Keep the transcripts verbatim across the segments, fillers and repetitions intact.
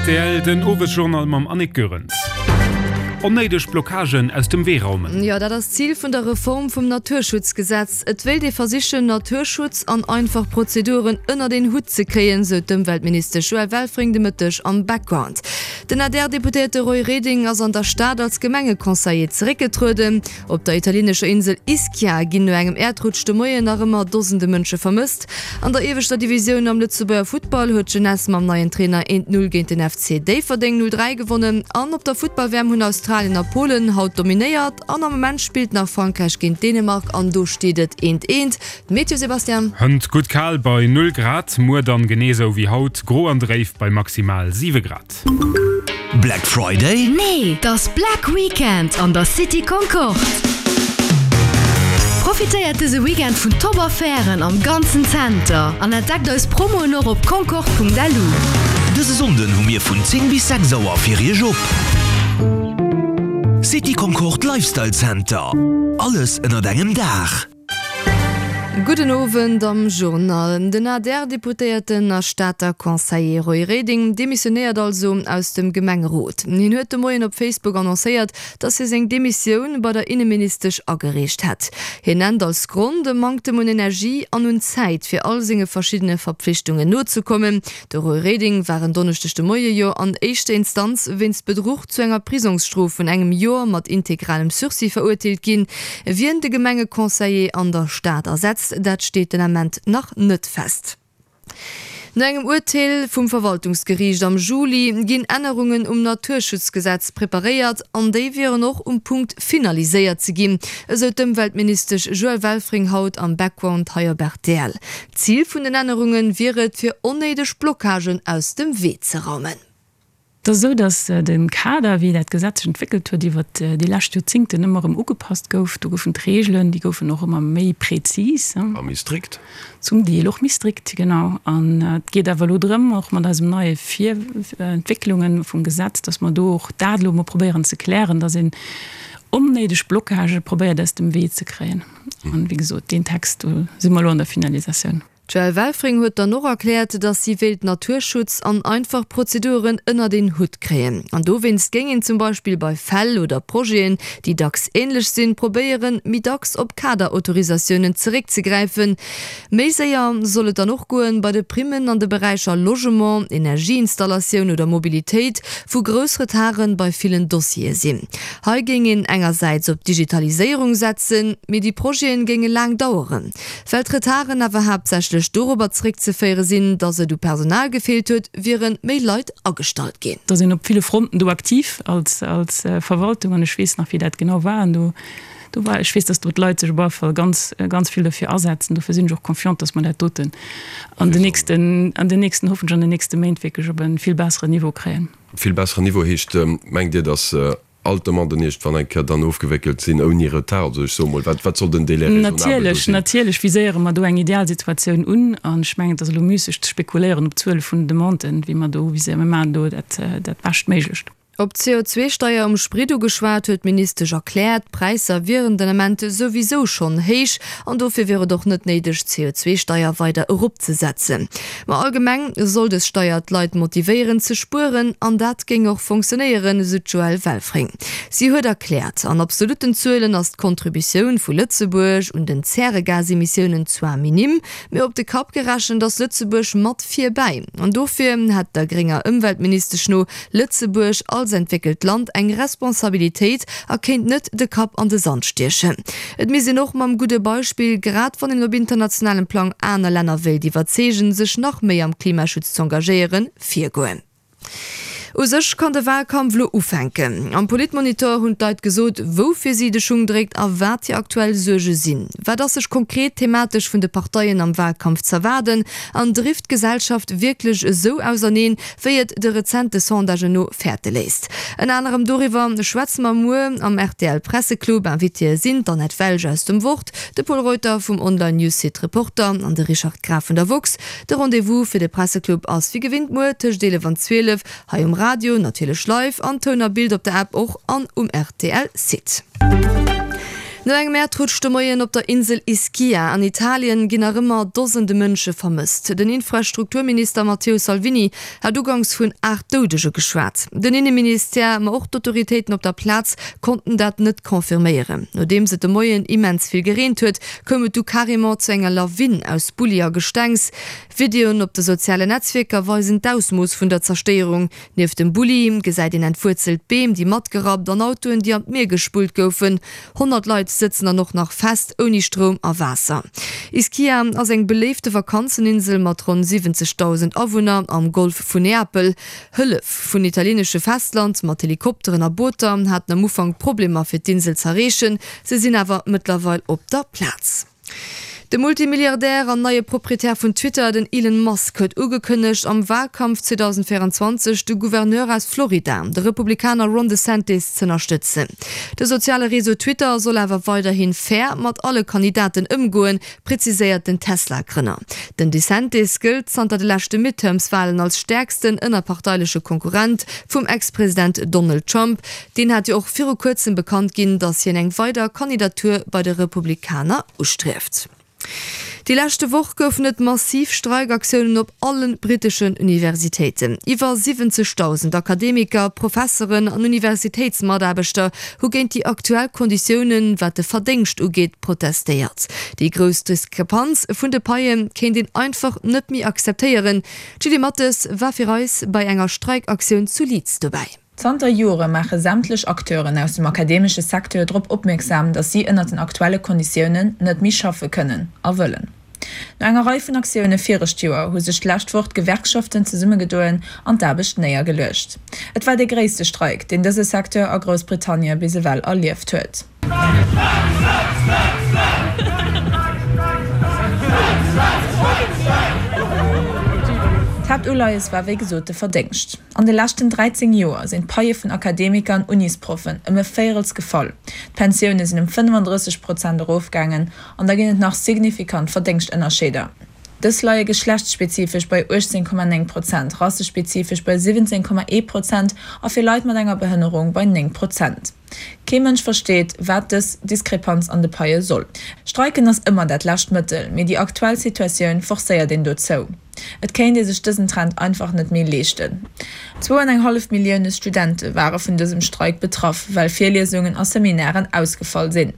Rtl, den Owesjournal mam Annick Goerens. Onnéideg Blockagen aus dem Wee raumen. Jo, dat ass d'Zil vun der Reform vum Naturschutzgesetz. Et wéilt ee versichen, Naturschutz an einfach Prozeduren ënnert een Hutt ze kréien, sou d'Ëmweltministesch Joëlle Welfring de Mëtteg am Background. Den A D R-Deputéierte Roy Reding ass an der Stad als Gemengeconseiller zeréckgetrueden. Op der italienescher Insel Ischia ginn no engem Äerdrutsch de Moien nach ëmmer Dosende Mënsche vermësst. An der ieweschter Divisioun am Lëtzebuerger Futtball huet d'Jeunesse mam neien Trainer eent Null géint den F C Déifferdeng null dräi gewonnen. An op der Futtball-W M hunn Australien a Polen haut dominéiert an am Moment spillt nach Frankräich géint Dänemark an do steet et eent eent. D'Meteo, Sebastian? Hënt gutt kal bei null Grad, muer dann genee sou wéi haut gro an dréif bei maximal siwe Grad. Black Friday? Nee, 't ass Black Weekend an der City Concorde! Profitéiert dëse Weekend vun Top-Affären am ganzen Zenter an entdeckt eis Promoen och op concorde Punkt L U. Dëse Sonnden hu mir vun zéng bis sechs Auer fir iech op. City Concorde Lifestyle Center. Alles ënnert engem Daach. Gudden Owend am Journal. Den A D R-Deputéierten a Stater Conseiller Roy Reding demissionéiert also aus dem Gemengerot. Hien huet de Moien op Facebook annoncéiert, datt hie seng Demissioun bei der Inneministesch agereecht hätt. Hien nennt als Grond e Manktem un Energie an un Zäit fir all senge verschiddene Verpflichtungen nozekommen. De Roy Reding war en Donneschdeg de Moie jo an éischter Instanz wéinst Bedruch zu enger Prisongsstrof vun engem Joer mat integralem Sursis verurteelt ginn. Wien de Gemengeconseiller an der Stad ersetzt, dat steet den Ament nach net fest. No engem Urteel vum Verwaltungsgeriicht am Juli ginn Ännerungen um Naturschutzgesetz preparéiert an déi wieren och um Punkt finaliséiert ze ginn, esou d'Ëmweltministesch Joëlle Welfring haut am Background hei op R T L. Zil vun den Ännerunge wier et, fir onnéideg Blockagen aus dem Wee ze raumen. Et ass esou, datt de Kader, wéi dat Gesetz sech entwéckelt huet iwwert déi lescht Joerzéngten, ëmmer erëm ugepasst gouf. Do goufen d'Reegelen, déi goufen och ëmmer méi prezis. A méi strikt. Zum Deel och méi strikt, genau. An et geet awer elo drëm, och mat eisem neie Vir Entwécklunge vum Gesetz, datt mer do och dat elo emol probéieren ze klären, datt een onnéideg Blockagë probéiert aus dem Wee ze kréien. An, wéi gesot, deen Text, do si mer elo an der Finalisatioun. D'Joëlle Welfring huet dann och erkläert, datt si wéilt Naturschutz an einfach Prozeduren ënnert een Hutt kréien. An dowéinst géing een zum Beispill bei Fäll oder Projeten, déi dacks änlech sinn, probéieren, méi dacks op Kaderautorisatiounen zeréckzegräifen. Méi séier soll et dann och goen bei de Primmen an de Beräicher Logement, Energieinstallatioun oder Mobilitéit, wou grouss Retarde bei villen Dossiere sinn. Hei géing een engersäits op Digitaliséierung setzen, mee déi Projete géinge laang daueren. Well d'Retarden awer haaptsächlech dorobber zeréckzeféiere sinn, datt et u Personal gefeelt huet, wiere méi Leit agestallt ginn. Da sinn op ville Fronten do aktiv als als Verwaltung an ech weess nach wéi dat genau war an do do war ech weess, datt do d'Leit sech op alle Fall ganz ganz vill dofir asetzen. Dofir sinn ech och confiant, datt mer dat doten an den nächsten an den nächsten hoffentlech an den nächste Méint wierklech op e vill besseren Niveau kréien. Vill besseren Niveau heescht, mengt Dir, datt all d'Demanden iergendwann eng Kéier dann ofgewéckelt sinn ouni Retard? Also ech soe mol, wat wat soll den Délai raisonnabel do Natierlech, sinn? natierlech viséiere mer do eng Idealsituatioun un an ech mengen, et ass elo müsseg ze spekuléieren op d'Zuele vun den Demanden, wéi mer do viséieren. Mir maachen do dat dat Beschtméiglecht. Op d'C O zwee Steier um Sprit ugeschwat huet d'Ministesch erkläert, d'Präisser wieren den Ament souwisou schonn héich an dofir wier et och net néideg, d'C O zwee Steier weider eropzesetzen. Ma allgemeng soll dës Steier d'Leit motivéieren ze spueren an dat géing och funktionéieren, esou d'Joëlle Welfring. Si huet erkläert, an absolutten Zuelen ass d'Kontributioun vu Lëtzebuerg un den Zäregasemissiounen zwar minim, mee op de Kapp gerechent ass Lëtzebuerg mat vir bäi. An dofir hätt der grénger Ëmweltministesch no Lëtzebuerg als entwéckelt Land eng Responsabilitéit a kéint net de Kapp an de Sand stiechen. Et misst een och mam gudde Beispill, grad wann een op internationalem Plang aner Länner wéilt iwwerzeegen, sech nach méi am Klimaschutz z'engagéieren, virgoen. U sech kann de Wahlkampf lo ufänken. Am Politmonitor hunn d'Leit gesot, woufir si de Schung dréckt a wat hir aktuell Suerge sinn. Wat ass sech konkret thematesch vun de Parteien am Wahlkampf z'erwaarden an drift d'Gesellschaft wierklech esou auserneen, wéi et de rezente Sondagen no fäerte léisst? Ënner anerem doriwwer schwätze mer muer am R T L Presseclub. Invitéë sinn d'Annette Welsch aus dem Wort, de Pol Reuter vum Online-News-Site Reporter an de Richard Graf vun der Woxx. De Rendez-vous fir de Presseclub ass wéi gewinnt muer tëscht eelef an zwielef hei um Radio, natierlech live an Toun a Bild op der App och an um R T L Site. No engem Äerdrutsch de Moien op der Insel Ischia an Italien ginn nach ëmmer Dosende Mënsche vermësst. Den Infrastrukturminister Matteo Salvini hat uganks vun aacht Doudege geschwat. Den Inneministère, ma och d'Autoritéiten op der Plaz konnten dat net confirméieren. Nodeems et de Moien immens vill gereent huet, koum et du carrément zu enger Lawin aus Bulli a Gestengs. Videoen op de sozialen Netzwierker weisen d'Ausmooss vun der Zerstéierung. Nieft dem Bulli gesäit een entwuerzelt Beem, déi matgerappt an Autoen, déi an d'Mier gespullt goufen. Honnert Leit sëtzen dann och nach fest, ouni Stroum a Waasser. Ischia ass eng beléifte Vakanzeninsel mat ronn siwwenzegdausend Awunner am Golf vun Neapel. Hëllef vun italieenesche Festland mat Helikopteren a Booter haten am Ufank Problemer fir d'Insel z'erreechen, se sinn awer mëttlerweil op der Plaz. De Multimilliardär an neie Proprietär vun Twitter, den Elon Musk, huet ugekënnegt, am Walkampf zweedausendvéierenzwanzeg de Gouverneur aus Florida, de Republikaner Ron DeSantis, z'ënnerstëtzen. De soziale Réseau Twitter soll awer weiderhi fair mat alle Kandidaten ëmgoen, preziséiert den Tesla-Grënner. Den DeSantis gëllt zanter de leschte Midterms-Walen als stäerksten ënnerparteileche Konkurrent vum Ex-President Donald Trump. Deen hat jo och viru kuerzem bekannt ginn, datt hien eng weider Kandidatur bei de Republikaner ustrieft. Déi leschte Woch goufen et massiv Streikaktiounen op alle britteschen Universitéiten. Iwwer siwwenzegdausend Akademiker, Professeren an Universitéitsmataarbechter hu géint déi aktuell Konditiounen, wat de Verdéngscht ugeet, protestéiert. Déi grouss Diskrepanz vun de Paie kéint een einfach net méi akzeptéieren. D'Julie Mathes war fir eis bei enger Streikaktioun zu Leeds dobäi. Zanter Jore maache sämtlech Acteuren aus dem akademesche Secteur drop opmierksam, datt si ënnert den aktuelle Konditiounen net méi schaffe kënnen a wëllen. No enger Rei vun Aktioune virecht Joer hu sech d'lescht Woch d'Gewerkschaften zesummegedoen an d'Aarbecht néiergeluecht. Et war dee gréisste Streik, deen dëse Secteur a Groussbritannie bis ewell erlieft huet. D'Haaptuleies war wéi gesot de Verdéngscht. An de leschten dräizéng Joer sinn d'Paie vun Akademiker an Unisproffen ëm e Véirels gefall, d'Pensioune sinn ëm fënnefandrësseg Prozent erofgaangen an da ginn et nach signifikant Verdéngschtënnerscheeder. Dës leie geschlechtsspezifesch bei uechtzéng Komma néng Prozent, rassespezifesch bei siwwenzéng Komma ee Prozent a fir Leit mat enger Behënnerung bei néng Prozent. Kee Mënsch versteet, wat dës Diskrepanz an de Paie soll. Streiken ass ëmmer dat lescht Mëttel, mee déi aktuell Situatioun forcéiert een dozou. Et kéint ee sech dësen Trend einfach net méi leeschten. Zwou an eng hallef Millioune Studente ware vun dësem Streik betraff, well Virliesungen a Seminairen ausgefall sinn.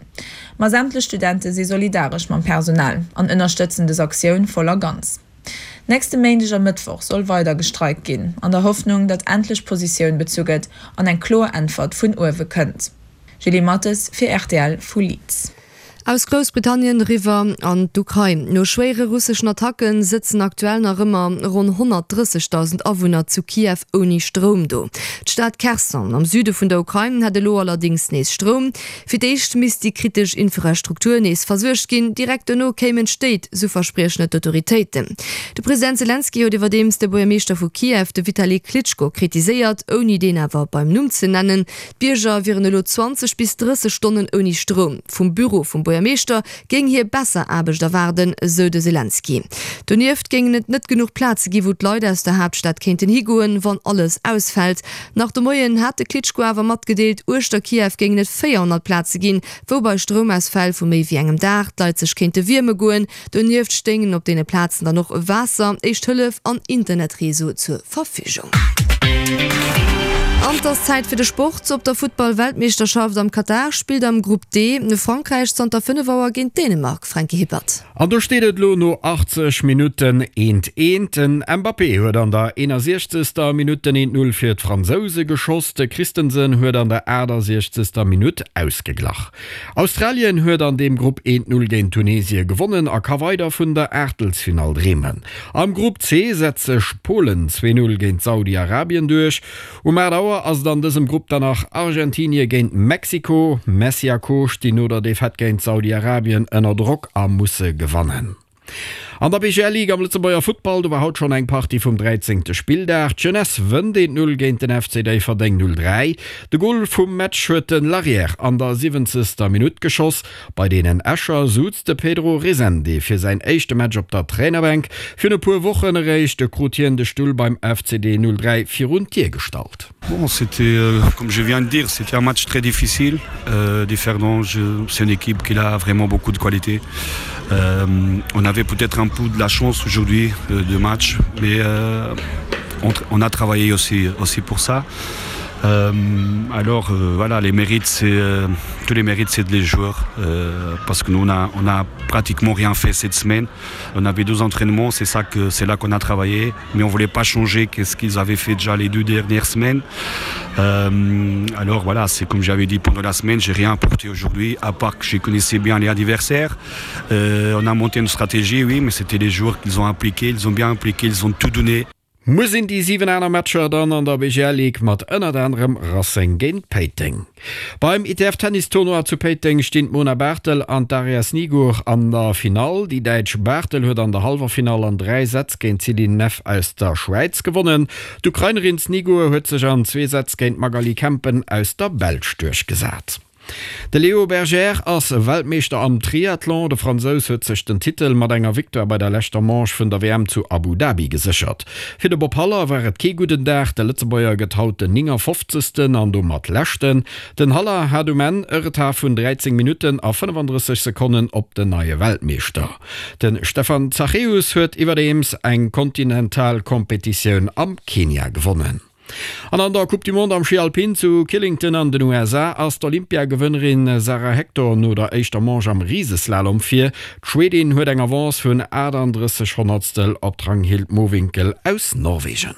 Ma sämtlech Studente si solidaresch mam Personal an ënnerstëtzen dës Aktioun voll a ganz. Nächste Méindeg a Mëttwoch soll weider gestreikt ginn, an der Hoffnung, datt endlech Positioun bezu gëtt an eng kloer Äntwert vun uewe kënnt. Julie Mathes fir rtl vu Leeds. Aus Groussbritannien eriwwer an d'Ukrain. No schwéiere russeschen Attacke sëtzen aktuell nach ëmmer ronn honnertdrëssegdausend Awunner zu Kiew ouni Stroum do. D'Stad Kherson am Süde vun der Ukrain hätt elo allerdéngs nees Stroum. Fir d'éischt misst déi kritesch Infrastruktur nees versuergt ginn, direkt dono kéimen d'Stéit, sou verspriechen et d'Autoritéiten. De President Selenskyj huet iwwerdeems de Buergermeeschter vu Kiew, de Vitali Klitschko, kritiséiert, ouni deen awer beim Numm ze nennen. D'Bierger wieren elo zwanzeg bis drësseg Stonnen ouni Stroum. Vum Büro vum Buergermeeschter géing hie besser Aarbecht erwaarden, sou de Selenskyj. Donieft géingen et net genuch Plaze gi wou d'Leit aus der Haaptstad kéinten higoen, wann alles ausfält. Nach de Moien hat de Klitschko awer matgedeelt, uechter Kiew géingen et véierhonnert Plaze ginn, wou bei Stroumausfäll vu méi wéi engem Dag d'Leit sech kéinte wierme goen. Donieft stéingen op deene Plazen dann och Waasser, Éischt Hëllef an Internetreseau zur Verfügung. An et ass Zäit fir de Sport. Op der Futtball-Weltmeeschterschaft am Katar spillt am Grupp D Frankräich zanter fënnef Auer géint Dänemark, Franky Hippert. An do steet et elo no achtzeg Minutten eent eent. Den Mbappé huet an der eenasiechzegster Minutt den eent Null fir d'Fransouse geschoss. De Christensen huet an der aachtasechzegster Minutt ausgeglach. Australien huet an deem Grupp eent Null géint Tunesie gewonnen a ka weider vun der Aachtelsfinall dreemen. Am Grupp C setzt sech Polen zwee Null géint Saudi-Arabien duerch. Um aacht Auer ass et an dësem Grupp dann nach Argentinie géint Mexiko. Messi a Co stinn no der Defaite géint Saudi-Arabien ënner Drock a musse gewannen. An der B G L Ligue am Lëtzebuerger Futtball, do war haut schonn eng Partie vum dräizéngte Spilldag. D'Jeunesse wënnt eent Null géint den F C Déifferdeng null dräi. De Gol vum Match huet de Larrière an der siwwenzegster Minutt geschoss. Bei deenen Escher suz de Pedro Resende fir säin éischte Match op der Trainerbänk. Virun e puer Wochen eréischt krut hien de Stull beim F C D null dräi virun d'Dier gestallt. Bon, c'était euh, comme je viens de dire, c'était un match très difficile. Euh, Differdange, c'est une équipe qui a vraiment beaucoup de qualité. Euh, on avait peut-être un peu de la chance aujourd'hui euh, de match, mais euh, on, on a travaillé aussi, aussi pour ça. Euh, alors euh, voilà, les mérites, c'est euh, tous les mérites, c'est les joueurs euh, parce que nous on a, on a pratiquement rien fait cette semaine. On avait deux entraînements, c'est ça que c'est là qu'on a travaillé, mais on voulait pas changer qu'est-ce qu'ils avaient fait déjà les deux dernières semaines. Euh, alors voilà, c'est comme j'avais dit pendant la semaine, j'ai rien apporté aujourd'hui à part que je connaissais bien les adversaires. Euh, on a monté une stratégie, oui, mais c'était les joueurs qu'ils ont impliqué, ils ont bien impliqué, ils ont tout donné. Muer sinn déi siwen aner Matcher dann an der B G L Ligue mat ënnert anerem Racing géint Péiteng. Beim I T F Tennis Tournoi zu Péiteng stinn d'Mona Barthel an d'Daria Snigur an der Finall. Déi däitsch Barthel huet an der hallwer Finall an dräi Sätz géint d'Céline Neff aus der Schwäiz gewonnen. D'Ukrainerin Snigur huet sech an zwee Sätz géint d'Magali Kempen aus der Belsch duerchgesat. De Léo Bergère ass Weltmeeschter am Triathlon. De Fransous huet sech den Titel mat enger Victoire bei der leschter Manche vun der W M zu Abu Dhabi geséchert. Fir de Bob Haller war et kee gudden Dag, de Lëtzebuerger gëtt haut den néngafofzegsten an domat leschten. Den Haller hat um Enn e Retard vun dräizéng Minutten a fënnefandrësseg Sekonnen op den neie Weltmeeschter. De Stefan Zachäus huet iwwerdeems eng kontinental Kompetitioun am Kenia gewonnen. An an der Coupe du Monde am Schi Alpin zu Killington an den U S A ass d'Olympiagewënnerin Sara Hector no der éischter Manche am Riseslalom vir. D'Schwedin huet eng Avance vun achtandrësseg Honnertstel op d'Ragnhild Mowinckel aus Norwegen.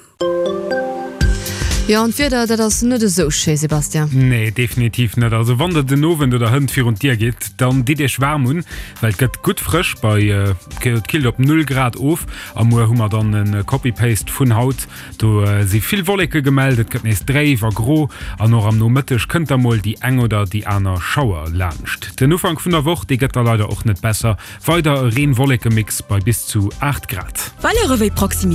Jo, an d'Wieder, dat ass net esou schéi, Sebastian. Nee, definitiv net. Also wann der den Owend oder hënt virun d'Dier gitt, dann ditt iech waarm un, well et gëtt gutt frësch bei et killt op null Grad of. A muer hu mer dann e Copy-Paste vun haut. Do si vill Wolleke gemellt, et gëtt nees dréif a gro an och am Nomëtteg kënnt da mol déi eng oder déi aner Schauer laanscht. Den Ufank vun der Woch, dee gëtt da leider och net besser, weider e Reen-Wolleke-Mix bei bis zu aacht Grad. Valere wéi Proximitéit.